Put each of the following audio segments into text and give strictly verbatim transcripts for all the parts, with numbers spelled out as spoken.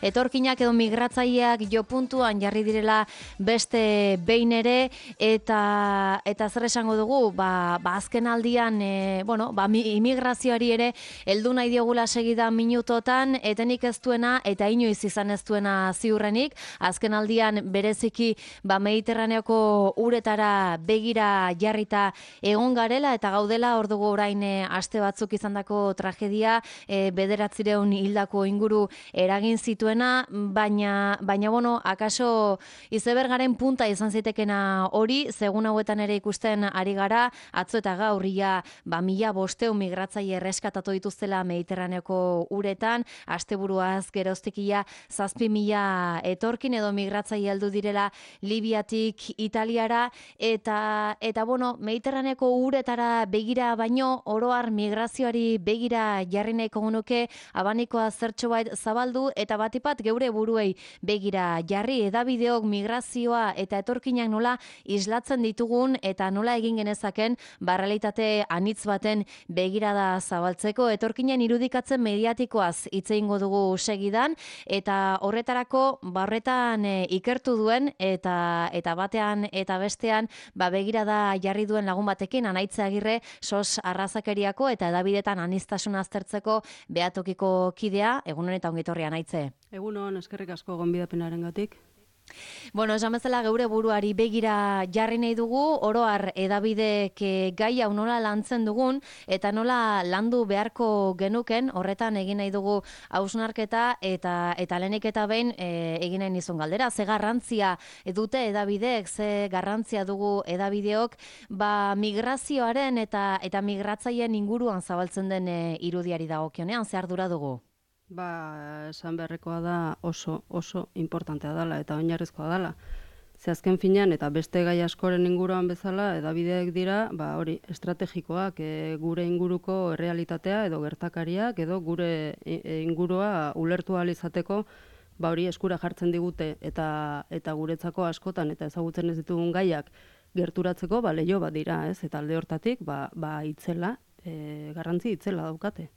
Etorkinak edo migratzaileak jo puntuan jarri direla beste behin ere, eta eta zer esango dugu, ba, ba azken aldian, e, bueno, ba, immigrazioari ere heldu nahi diogula segida minutotan, etenik ez duena eta inoiz izan ez duena ziurrenik, azken aldian bereziki ba, Mediterraneoko uretara begira jarrita egon garela, eta gaudela hor dugu orain e, aste batzuk izandako tragedia, e, bederatzireun hildako inguru eragin zituen, baina, baina bueno, akaso izebergaren punta izan zitekena hori, segun hauetan ere ikusten ari gara, atzo eta gaurria ba, mila bosteun migratzaile erreskatatu dituztela Mediterraneoko uretan, asteburuaz geroztikia zazpi mila etorkin edo migratzaile heldu direla Libiatik Italiara, eta, eta bueno, Mediterraneoko uretara begira baino, oroar migrazioari begira jarri nahiko genuke, abanikoa zertxo bait zabaldu, eta bat bat geure buruei begira jarri, edabideok migrazioa eta etorkinak nola islatzen ditugun eta nola egin genezaken barrealitate anitz baten begirada zabaltzeko. Etorkinen irudikatzen mediatikoaz hitz egingo dugu segidan, eta horretarako barretan e, ikertu duen eta eta batean eta bestean ba, begirada jarri duen lagun batekin, Anaitze Agirre, sos arrazakeriako eta edabidetan aniztasuna aztertzeko behatokiko kidea. Egun honetan ongitorri, Anaitze. Egunon, eskerrik asko gonbidapenarengatik. Bueno, esan bezala geure buruari begira jarri nahi dugu, oroar edabidek gai hau nola lantzen dugun, eta nola landu beharko genuken, horretan egin nahi dugu hausnarketa, eta eta lehenik eta behin e, egin nahi nizun galdera. Ze garrantzia dute edabidek, ze garrantzia dugu edabideok, ba migrazioaren eta, eta migratzaileen inguruan zabaltzen den e, irudiari dagokionean, ze ardura dugu? Ba, esan beharrekoa da oso, oso importantea dela eta oinarrizkoa dela. Ze azken finean eta beste gai askoren inguruan bezala, edabideek dira, ba hori, estrategikoak, e, gure inguruko errealitatea edo gertakariak edo gure ingurua ulertu ahal izateko, ba hori eskura jartzen digute eta eta guretzako askotan eta ezagutzen ez ditugun gaiak gerturatzeko, ba leiho bat dira, ez? Eta alde hortatik, ba ba itzela, e, garrantzi itzela daukate.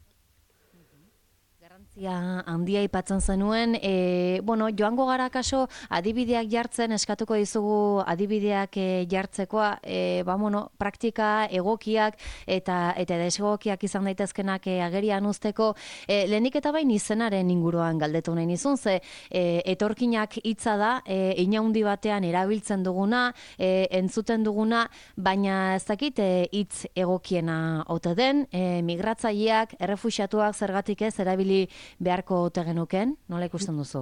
Garrantzia handia aipatzen zenuen, e, bueno, joango gara kaso adibideak jartzen, eskatuko dizugu adibideak e, jartzekoa, e, ba, bueno, praktika egokiak eta eta desegokiak izan daitezkenak e, agerian uzteko, e, lehenik eta bain izenaren inguruan galdetu nahi nizun, ze e, etorkinak hitza da, e, inaundi batean erabiltzen duguna, e, entzuten duguna, baina ez dakit e, hitz egokiena ote den, e, migratzaileak, errefuxiatuak zergatik ez erabili beharko ote genuken, nola ikusten duzu?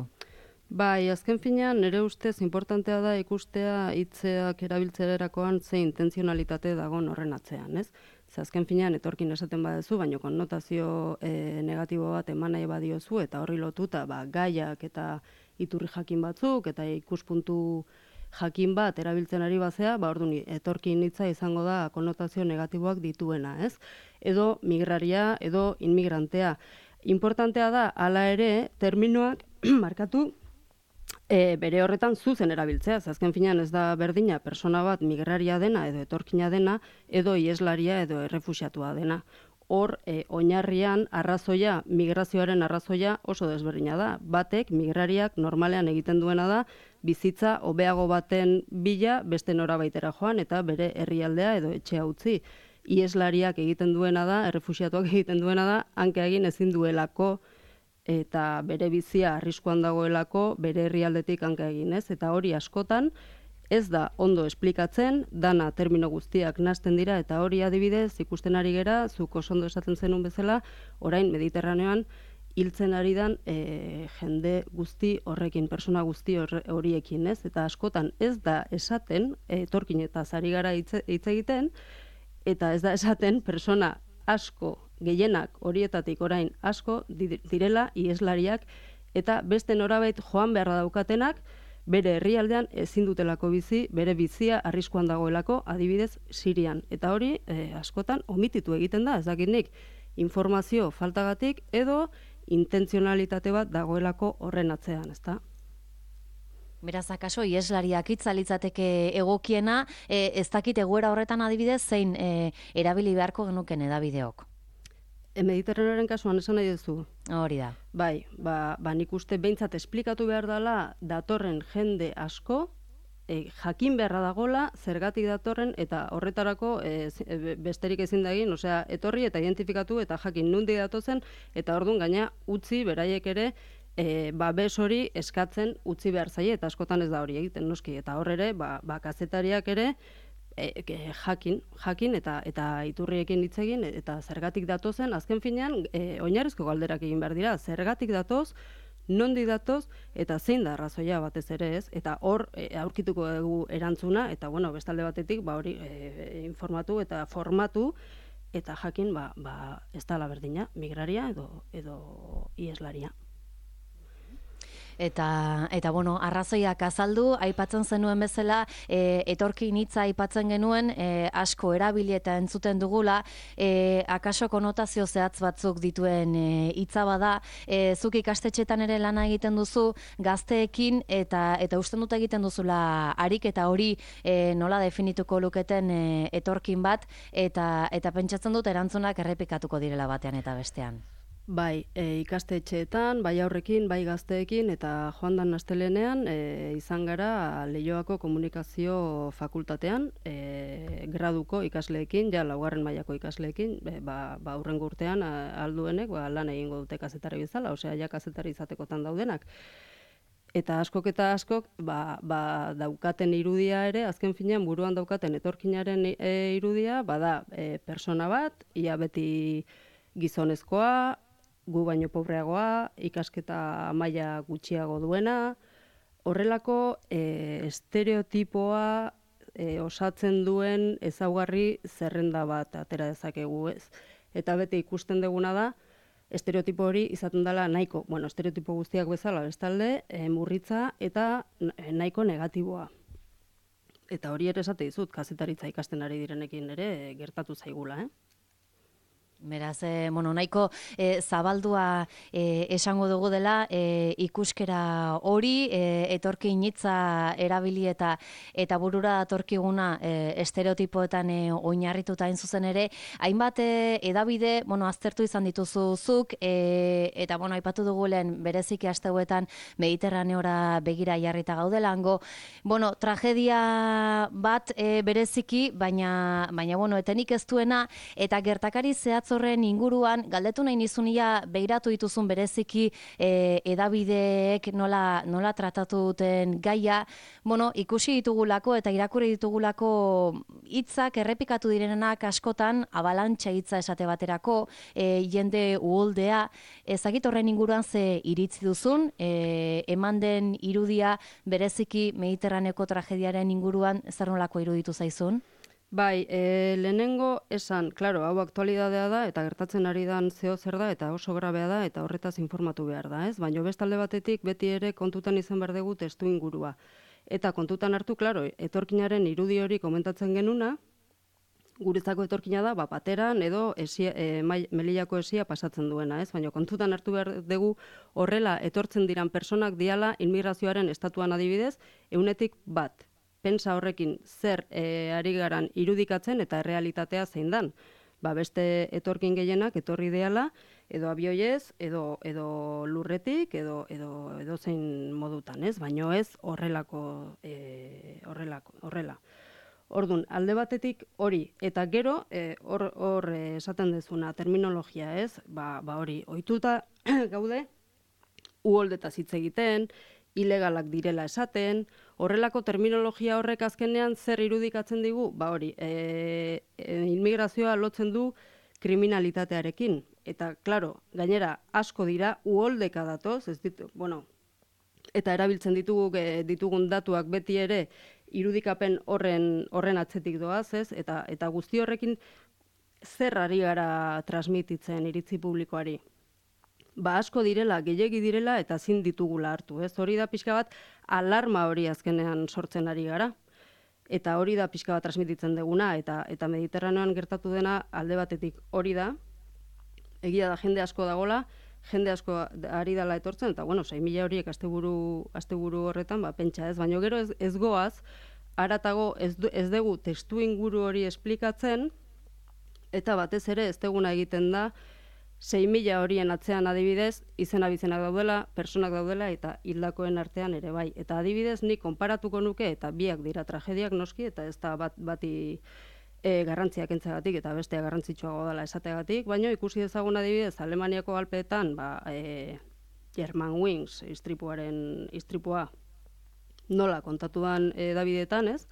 Bai, azken finean nire ustez importantea da ikustea hitzeak erabiltzerakoan ze intenzionalitate dagoen horren atzean, ez? Ze azken finean etorkin esaten baduzu, baina konnotazio e, negatibo bat eman nahi badiozu eta horri lotuta ba, gaiak eta iturri jakin batzuk eta ikuspuntu jakin bat erabiltzen ari bazea, ba orduan etorkin hitza izango da konnotazio negatiboak dituena, ez? Edo migraria, edo inmigrantea. Importantea da, hala ere, terminoak markatu e, bere horretan zuzen erabiltzea. Azken finean ez da berdina persona bat migraria dena edo etorkina dena, edo ieslaria edo errefuxiatua dena. Hor, e, oinarrian arrazoia, migrazioaren arrazoia oso desberdina da. Batek, migrariak normalean egiten duena da, bizitza hobeago baten bila beste norabaitera joan eta bere herrialdea edo etxea utzi. Ieslariak egiten duena da, errefuxiatuak egiten duena da, hanka egin ezin duelako eta bere bizia arriskuan dagoelako bere herrialdetik hanka egin, ez? Eta hori askotan ez da ondo esplikatzen, dana termino guztiak nahasten dira, eta hori adibidez ikusten ari gera, zuk oso ondo esaten zenun bezala, orain Mediterraneoan hiltzen ari dan e, jende guzti horrekin, persona guzti horiekin, ez? Eta askotan ez da esaten, etorkinetaz ari gara hitz egiten, eta ez da esaten persona asko, gehienak horietatik orain asko direla ieslariak eta beste norabait joan beharra daukatenak bere herrialdean ezin dutelako bizi, bere bizia arriskuan dagoelako, adibidez Sirian. Eta hori eh, askotan omititu egiten da, ez dakit nik, informazio faltagatik edo intentzionalitate bat dagoelako horren atzean, ezta? Beraz, akaso, ieslariak itzalitzateke egokiena, e, ez dakit egoera horretan adibidez, zein e, erabili beharko genuken edabideok? E, Mediterraneoaren kasuan esan nahi duzu? Hori da. Bai, ba, ba nik uste behintzat esplikatu behar dela datorren jende asko, e, jakin beharra dagola, zergatik datorren, eta horretarako e, besterik ezin da egin, osea, etorri eta identifikatu eta jakin nundi datozen, eta orduan gaina utzi beraiek ere e, babes hori eskatzen utzi behar zaie, eta askotan ez da hori egiten noski, eta hor ere, ba, ba kazetariak ere, E, e, jakin, jakin eta eta iturriekin hitz egin eta zergatik datozen, azken finean e, oinarrizko galderak egin behar dira, zergatik datoz, nondi datoz eta zein da arrazoia batez ere, ez? Eta hor e, aurkituko dugu erantzuna eta bueno, bestalde batetik ba hori e, informatu eta formatu eta jakin ba, ba ez da la berdina, migraria edo edo ieslaria. Eta, eta bueno, arrazoiak azaldu, aipatzen zenuen bezala, e, etorkin hitza aipatzen genuen, e, asko erabili eta entzuten dugula, e, akaso konotazio zehatz batzuk dituen e, hitza bada, e, zuk ikastetxetan ere lana egiten duzu, gazteekin, eta eta usten dut egiten duzula harik eta hori e, nola definituko luketen e, etorkin bat, eta, eta pentsatzen dut erantzunak errepikatuko direla batean eta bestean. Bai, e, ikastetxeetan, bai aurrekin, bai gazteekin, eta joan dan astelenean e, izan gara Leioako komunikazio fakultatean, e, graduko ikasleekin, ja laugarren mailako ikasleekin, e, ba, ba aurrengo urtean alduenek ba, lan egingo dute kazetari bezala, osea, ja kazetari izatekotan daudenak. Eta askok eta askok ba, ba, daukaten irudia ere, azken finean buruan daukaten etorkinaren e, irudia, bada e, persona bat, ia beti gizonezkoa, gu baino pobreagoa, ikasketa maila gutxiago duena, horrelako e, estereotipoa e, osatzen duen ezaugarri zerrenda bat atera dezakegu, ez. Eta beti ikusten duguna da, estereotipo hori izaten dela nahiko, bueno, estereotipo guztiak bezala bestalde, e, murritza eta nahiko negatiboa. Eta hori ere esate dizut, kazetaritza ikasten ari direnekin ere e, gertatu zaigula, eh? Beraz, e, bueno, nahiko e, zabaldua e, esango dugu dela e, ikuskera hori, e, etorkin hitza erabili eta eta burura datorkiguna e, estereotipoetan e, oinarrituta hain zuzen ere, hainbat e, edabide, bueno, aztertu izan dituzu zuk, e, eta bueno, aipatu dugu lehen bereziki asteuetan Mediterraneora begira jarrita gaudelango, bueno, tragedia bat e, bereziki, baina, baina bueno, etenik ez duena, eta gertakari zehatz horren inguruan, galdetu nahi nizunia begiratu dituzun bereziki e, edabideek nola, nola tratatu duten gaia, bueno, ikusi ditugulako eta irakurri ditugulako hitzak errepikatu direnak askotan, abalantxa hitza esate baterako, e, jende uholdea, ezagit horren inguruan ze iritzi duzun, e, eman den irudia bereziki Mediterraneko tragediaren inguruan zer nolako iruditu zaizun? Bai, e, lehenengo esan, klaro, hau aktualidadea da, eta gertatzen ari dan zeo zer da, eta oso grabea da, eta horretaz informatu behar da, ez? Baina bestalde batetik beti ere kontutan izan behar dugu testu ingurua. Eta kontutan hartu, klaro, etorkinaren irudi hori komentatzen genuna, guretzako etorkina da, ba, pateran edo esia, e, Melillako esia pasatzen duena, ez? Baina kontutan hartu behar dugu horrela etortzen diran personak diala inmigrazioaren estatuan adibidez, eunetik bat. Pentsa horrekin zer e, ari garan irudikatzen eta errealitatea zein dan. Ba, beste etorkin gehienak etorri deala, edo abioiez, edo, edo lurretik, edo, edo, edo zein modutan, ez? Baino ez horrelako, e, horrelako, horrela. Ordun, alde batetik hori, eta gero, e, hor, hor e, esaten dezuna, terminologia, ez? Ba, ba hori, ohituta gaude, uholdetaz hitz egiten, ilegalak direla esaten, horrelako terminologia horrek azkenean zer irudikatzen digu? Ba hori, e, e, inmigrazioa lotzen du kriminalitatearekin. Eta, klaro, gainera asko dira, uholdeka datoz, ez ditu, bueno, eta erabiltzen ditugu, e, ditugun datuak beti ere irudikapen horren, horren atzetik doaz, ez? Eta, eta guzti horrekin zer ari gara transmititzen iritzi publikoari? Ba asko direla, gehiegi direla eta zin ditugula hartu, ez? Hori da pixka bat alarma hori azkenean sortzen ari gara. Eta hori da pixka bat transmititzen deguna, eta eta Mediterraneoan gertatu dena alde batetik hori da. Egia da jende asko dagola, jende asko ari dela etortzen, eta bueno, sei mila horiek asteburu asteburu horretan, ba pentsa, ez? Baina gero ez, ez goaz, haratago ez, ez dugu testu inguru hori esplikatzen, eta batez ere ez deguna egiten da, sei mila horien atzean adibidez, izena bizenak daudela, personak daudela eta hildakoen artean ere bai. Eta adibidez, nik konparatuko nuke, eta biak dira tragediak noski, eta ez da bat, bati e, garrantziak entzagatik eta bestea garrantzitsuago dela esateagatik, baina ikusi dezagun adibidez, Alemaniako Alpeetan, ba, e, German Wings istripuaren istripua nola kontatuan e, Davidetan, ez?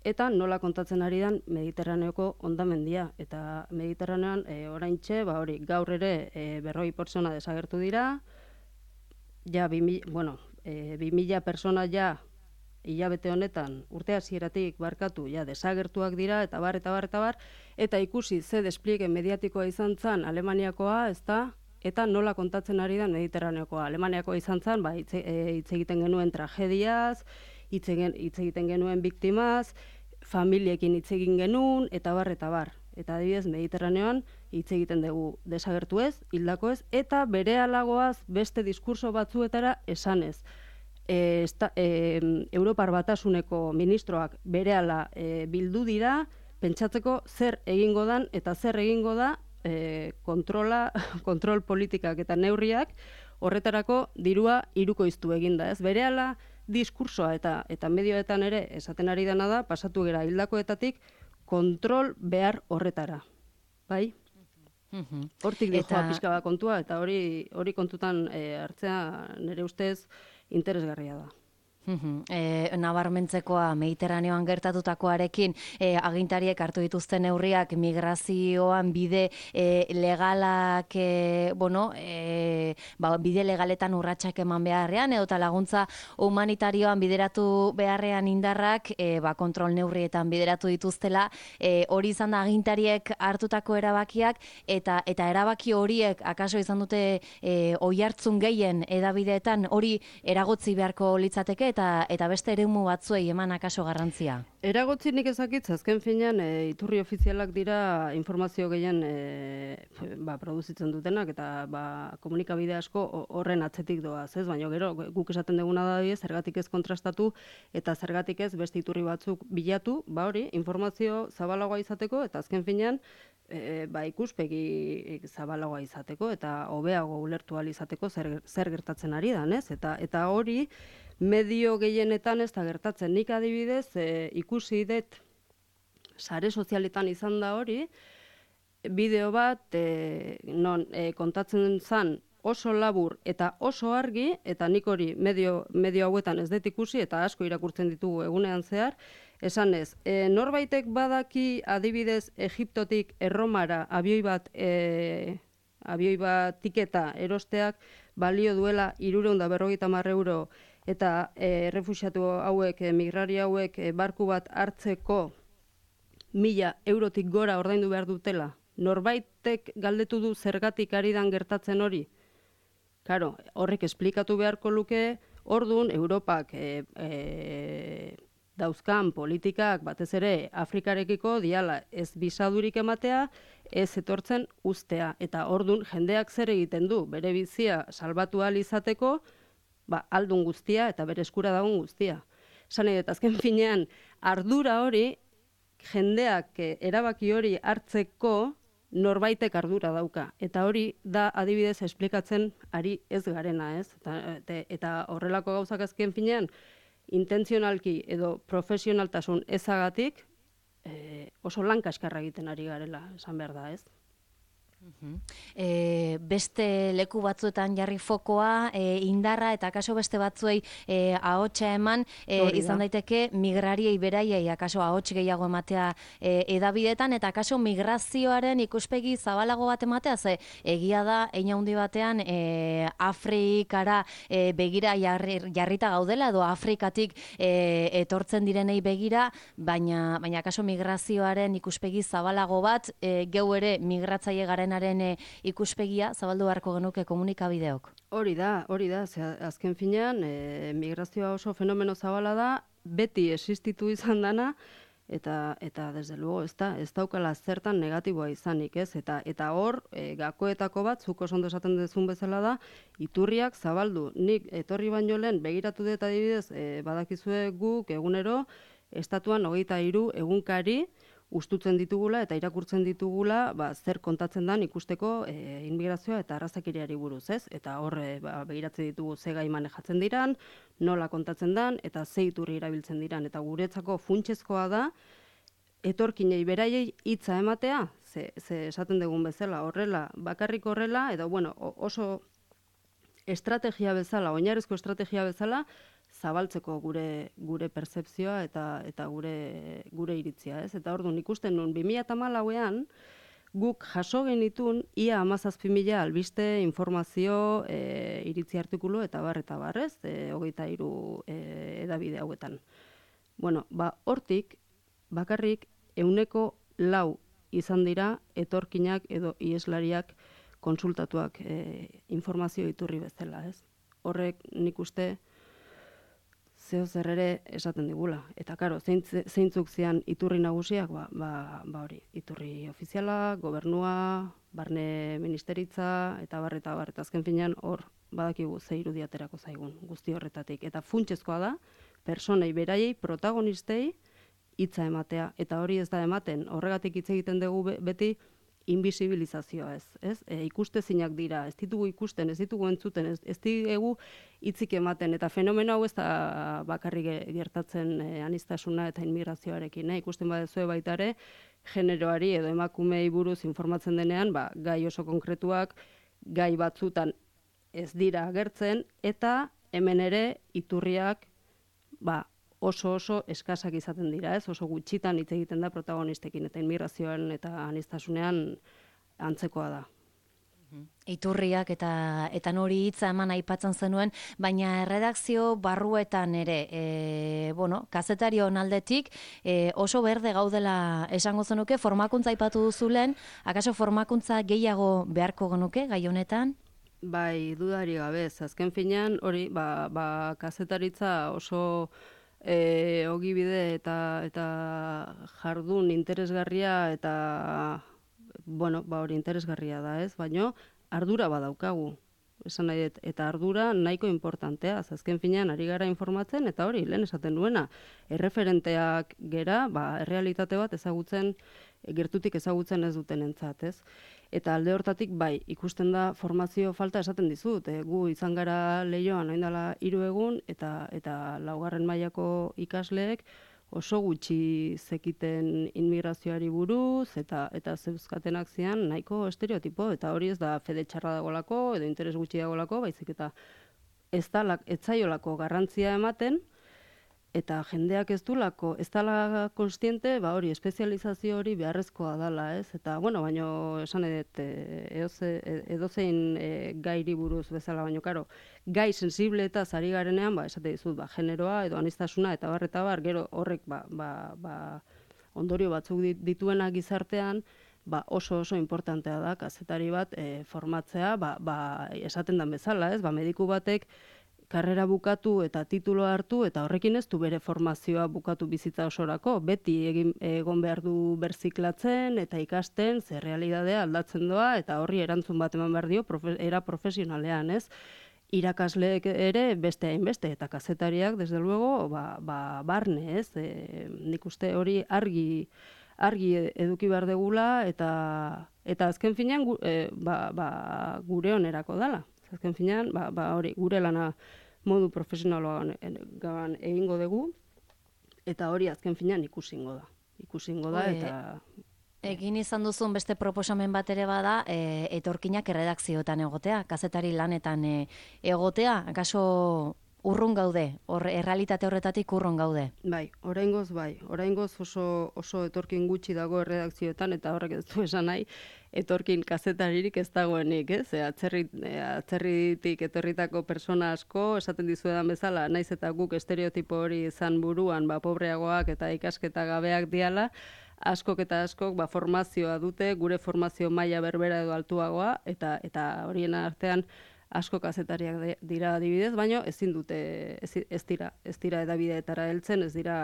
Eta nola kontatzen ari dan Mediterraneoko hondamendia. Eta Mediterranean e, oraintxe, ba hori, gaur ere e, berroi pertsona desagertu dira, ja, bi, bueno, e, bi mila pertsona ja hilabete honetan urte hasieratik barkatu ja desagertuak dira, eta bar, eta bar, eta bar, eta ikusi ze despliege mediatikoa izan zen Alemaniakoa, ez da, eta nola kontatzen ari da Mediterraneokoa. Alemaniakoa izan zen, ba, hitz e, egiten genuen tragediaz, hitz egiten genuen biktimaz, familiekin hitz egin genuen, eta bar, eta bar. Eta adibidez, Mediterraneoan hitz egiten dugu desagertu ez, hildako ez, eta berealagoaz beste diskurso batzuetara esanez. E, esta, e, Europar Batasuneko ministroak berehala e, bildu dira, pentsatzeko zer egingo dan eta zer egingo da e, kontrola, kontrol politikak eta neurriak horretarako dirua hirukoiztu eginda, ez? Berehala diskursoa eta eta medioetan ere esaten ari dena da, pasatu gera hildakoetatik kontrol behar horretara. Bai? Hortik dijoa pixka bat kontua, eta hori hori kontutan e, hartzea nire ustez interesgarria da. E, nabarmentzekoa Mediterraneoan gertatutakoarekin e, agintariek hartu dituzten neurriak migrazioan bide e, legalak e, bueno, e, ba, bide legaletan urratsak eman beharrean edota laguntza humanitarioan bideratu beharrean indarrak e, ba, kontrol neurrietan bideratu dituztela, e, hori izan da agintariek hartutako erabakiak eta eta erabaki horiek akaso izan dute e, oihartzun gehien hedabideetan hori eragotzi beharko litzateke eta eta beste eremu batzuei eman akaso garrantzia. Eragotzi nik ezakitz, azken finean e, iturri ofizialak dira informazio gehien e, ba, produzitzen dutenak eta ba, komunikabide asko horren atzetik doaz, ez? Baina gero guk esaten duguna da die, zergatik ez kontrastatu eta zergatik ez beste iturri batzuk bilatu, ba hori, informazio zabalagoa izateko eta azken finean E, ba, ikuspegi zabalagoa izateko eta hobeago ulertu ahal izateko zer, zer gertatzen ari da, ez? Eta, eta hori medio gehienetan ez da gertatzen. Nik adibidez e, ikusi dut sare sozialetan izan da hori, bideo bat e, non e, kontatzen zan oso labur eta oso argi, eta nik hori medio, medio hauetan ez dut ikusi eta asko irakurtzen ditugu egunean zehar, esan ez, e, norbaitek badaki adibidez Egiptotik Erromara abioi bat, e, abioi bat tiketa erosteak balio duela hirurehun eta berrogeita hamar euro eta e, refuxiatu hauek, e, migrari hauek e, barku bat hartzeko mila eurotik gora ordaindu behar dutela. Norbaitek galdetu du zergatik ari dan gertatzen hori? Claro, horrek esplikatu beharko luke, ordun Europak e, e, dauzkan politikak batez ere Afrikarekiko diala ez bisadurik ematea, ez etortzen ustea. Eta ordun jendeak zer egiten du, bere bizia salbatu ahal izateko, ba, aldun guztia eta bere eskura dagoen guztia. Esan nahi dut, azken finean, ardura hori, jendeak erabaki hori hartzeko norbaitek ardura dauka. Eta hori da adibidez esplikatzen ari ez garena, ez? Eta, eta horrelako gauzak azken finean, intentzionalki edo profesionaltasun ezagatik e, oso lan kaskarra egiten ari garela, esan behar da, ez? E, beste leku batzuetan jarri fokoa, e, indarra eta akaso beste batzuei e, ahotsa eman, e, izan daiteke migrariei beraiei akaso ahots gehiago ematea e, edabidetan eta akaso migrazioaren ikuspegi zabalago bat ematea, ze egia da hein handi batean e, Afrikara e, begira jarri, jarrita gaudela edo Afrikatik e, etortzen direnei begira, baina baina akaso migrazioaren ikuspegi zabalago bat e, geu ere migratzaile garen ikuspegia zabaldu beharko genuke komunikabideok. Hori da, hori da, ze azken finean e, migrazioa oso fenomeno zabala da, beti existitu izan dana eta eta desde luego ez da, ez daukala zertan negatiboa izanik, ez? Eta eta hor e, gakoetako bat zuk oso ondo esaten duzun bezala da, iturriak zabaldu. Nik etorri baino lehen begiratu dut adibidez, e, badakizue guk egunero estatuan hogeita hiru egunkari ustutzen ditugula eta irakurtzen ditugula, ba, zer kontatzen dan ikusteko e, inmigrazioa eta arrazakeriari buruz, ez? Eta hor e, ba, begiratzen ditugu ze gai manejatzen diran, nola kontatzen dan eta ze iturri erabiltzen diran, eta guretzako funtsezkoa da etorkinei beraiei hitza ematea, ze, ze esaten dugun bezala, horrela, bakarrik horrela, edo bueno, oso estrategia bezala, oinarrizko estrategia bezala, zabaltzeko gure gure pertzepzioa eta eta gure gure iritzia, ez? Eta orduan ikusten nun bi mila hamalauean guk jaso genitun ia hamazazpi mila albiste, informazio, e, iritzi artikulu eta bar eta bar, ez? E, hogeita hiru e, edabide hauetan. Bueno, ba hortik bakarrik ehuneko lau izan dira etorkinak edo ieslariak konsultatuak e, informazio iturri bezala, ez? Horrek nik uste zeo zer ere esaten digula. Eta karo, zeintzuk zian iturri nagusiak, ba, ba, ba hori, iturri ofiziala, gobernua, barne ministeritza, eta bar, eta bar, eta azken finean hor badakigu ze irudiaterako zaigun guzti horretatik. Eta funtsezkoa da, personei beraiei, protagonistei, hitza ematea. Eta hori ez da ematen, horregatik hitz egiten dugu beti, invisibilizazioa ez, ez? E, ikustezinak dira, ez ditugu ikusten, ez ditugu entzuten, ez, ez ditugu hitzik ematen, eta fenomeno hau ez da bakarrik gertatzen e, aniztasuna eta inmigrazioarekin, eh? Ikusten badezue baita ere, generoari edo emakumei buruz informatzen denean, ba, gai oso konkretuak, gai batzutan ez dira agertzen, eta hemen ere iturriak, ba, oso oso eskasak izaten dira, ez? Oso gutxitan hitz egiten da protagonistekin, eta inmigrazioan eta aniztasunean antzekoa da. Iturriak eta eta nori hitza eman aipatzen zenuen, baina erredakzio barruetan ere, e, bueno, kazetarion aldetik e, oso berde gaudela esango zenuke, formakuntza aipatu duzulen, akaso formakuntza gehiago beharko genuke gai honetan? Bai, dudari gabe, azken finean hori, ba, ba kazetaritza oso E, ogibide eta eta jardun interesgarria eta bueno, ba hori interesgarria da, ez? Baino ardura badaukagu. Esan nahi dut, eta ardura nahiko importantea, azken finean ari gara informatzen eta hori lehen esaten duena, erreferenteak gera, ba errealitate bat ezagutzen gertutik ezagutzen ez dutenentzat, ez? Eta alde hortatik bai, ikusten da formazio falta esaten dizut, e, gu izan gara Leioan orain dela hiru egun eta eta laugarren mailako ikasleek oso gutxi zekiten inmigrazioari buruz eta eta zeuzkatenak zian nahiko estereotipo, eta hori ez da fede txarra dagolako edo interes gutxi dagolako, baizik eta ez da ez zaiolako garrantzia ematen. Eta jendeak ez dulako, ez dala konstiente, ba hori, espezializazio hori beharrezkoa dala, ez? Eta, bueno, baino, esan edet, edozein e, gairi buruz bezala, baino, karo, gai sensible eta zari garenean, ba, esate dizut, ba, generoa edo anistasuna eta bar, eta bar, gero horrek, ba, ba, ba, ondorio batzuk dituena gizartean, ba, oso oso importantea da, kazetari bat e, formatzea, ba, ba, esaten dan bezala, ez? Ba, mediku batek, karrera bukatu eta titulo hartu, eta horrekin ez du bere formazioa bukatu bizitza osorako, beti egin, egon behar du berziklatzen eta ikasten, ze realidadea aldatzen doa, eta horri erantzun bat eman behar dio, profe, era profesionalean, ez? Irakasleek ere beste hainbeste, eta kazetariak, desde luego, ba, ba, barne, ez? E, nik uste hori argi, argi eduki behar degula, eta, eta azken finean e, ba, ba, gure onerako dala. Azken finean, ba, ba, hori, gure lana modu profesionaloan egingo dugu, eta hori azken finean ikusingo da. Ikusingo da, eta... Egin izan duzun beste proposamen bat ere bada, e, etorkinak erredakzioetan egotea, kazetari lanetan e, egotea, akaso urrun gaude, hor, errealitate horretatik urrun gaude. Bai, oraingoz bai, oraingoz oso, oso etorkin gutxi dago erredakzioetan, eta horrek ez du esan nahi, etorkin kazetaririk ez dagoenik, ez? E, atzerri, e, atzerritik etorritako persona asko, esaten dizuedan bezala, naiz eta guk estereotipo hori izan buruan, ba, pobreagoak eta ikasketa gabeak diala, askok eta askok ba, formazioa dute, gure formazio maila berbera edo altuagoa, eta eta horien artean asko kazetariak dira adibidez, baino ezin dute, ez, ez dira, ez dira edabideetara heltzen, ez dira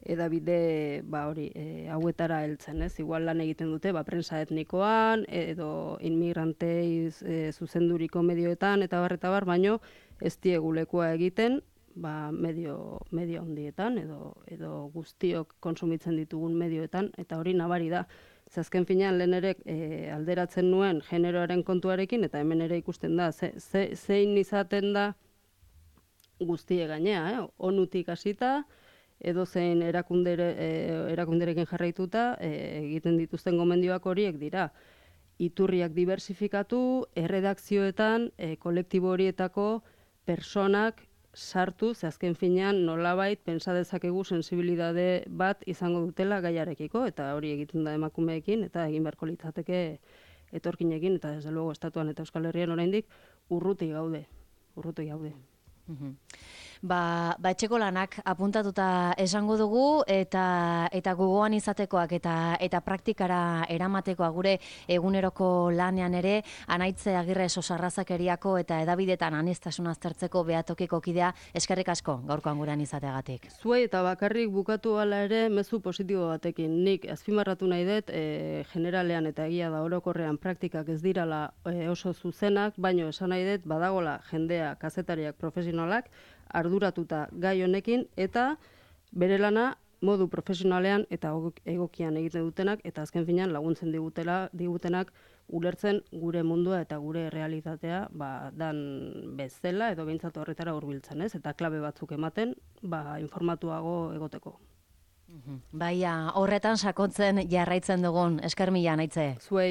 edabide ba hori e, hauetara heltzen, ez? Igual lan egiten dute ba prensa etnikoan edo inmigrantei e, zuzenduriko medioetan eta bar eta bar, baino ez diegu lekua egiten ba, medio, medio handietan, edo, edo guztiok konsumitzen ditugun medioetan, eta hori nabari da. Ze azken finean lehen ere e, alderatzen nuen generoaren kontuarekin, eta hemen ere ikusten da, ze, ze, zein izaten da guztie gainea, eh? Onutik hasita, edo zein erakundere, e, erakunderekin jarraituta e, egiten dituzten gomendioak horiek dira. Iturriak diversifikatu, erredakzioetan, e, kolektibo horietako personak sartu, ze azken finean nolabait pentsa dezakegu sensibilidade bat izango dutela gaiarekiko, eta hori egiten da emakumeekin, eta egin beharko litzateke etorkinekin, eta desde luego estatuan eta Euskal Herrian oraindik urruti gaude, urruti gaude. Mhm. Ba, ba etxeko lanak apuntatuta esango dugu eta eta gogoan izatekoak eta eta praktikara eramatekoa gure eguneroko lanean ere Anaitze Agirre Sosarrazakeriako eta edabidetan aniztasuna aztertzeko behatokiko kidea eskerrik asko gaurkoan gurean izateagatik. Zuei eta bakarrik bukatu hala ere mezu positibo batekin. Nik azpimarratu nahi dut e, generalean eta egia da orokorrean praktikak ez dirala e, oso zuzenak, baino esan nahi dut badagola jendea, kazetariak, profesionalak arduratuta gai honekin eta bere lana modu profesionalean eta egokian egiten dutenak eta azken finean laguntzen digutela digutenak ulertzen gure mundua eta gure realitatea ba, dan bezala edo behintzat horretara hurbiltzen, ez? Eta klabe batzuk ematen ba, informatuago egoteko. Baia, horretan sakontzen jarraitzen dugun, esker mila Anaitze. Zuei